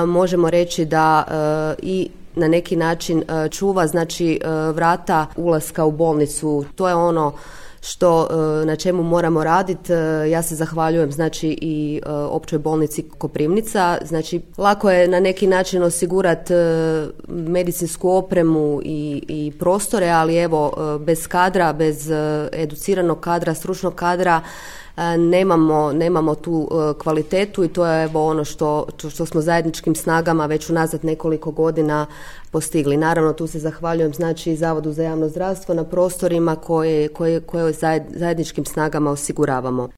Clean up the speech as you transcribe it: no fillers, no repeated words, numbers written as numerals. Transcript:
možemo reći da i na neki način čuva znači vrata ulaska u bolnicu. To je ono što na čemu moramo raditi. Ja se zahvaljujem znači i Općoj bolnici Koprivnica. Znači lako je na neki način osigurati medicinsku opremu i prostore, ali evo bez kadra, bez educiranog kadra, stručnog kadra nemamo tu kvalitetu i to je evo ono što smo zajedničkim snagama već unazad nekoliko godina postigli. Naravno tu se zahvaljujem znači Zavodu za javno zdravstvo na prostorima koje zajedničkim snagama osiguravamo.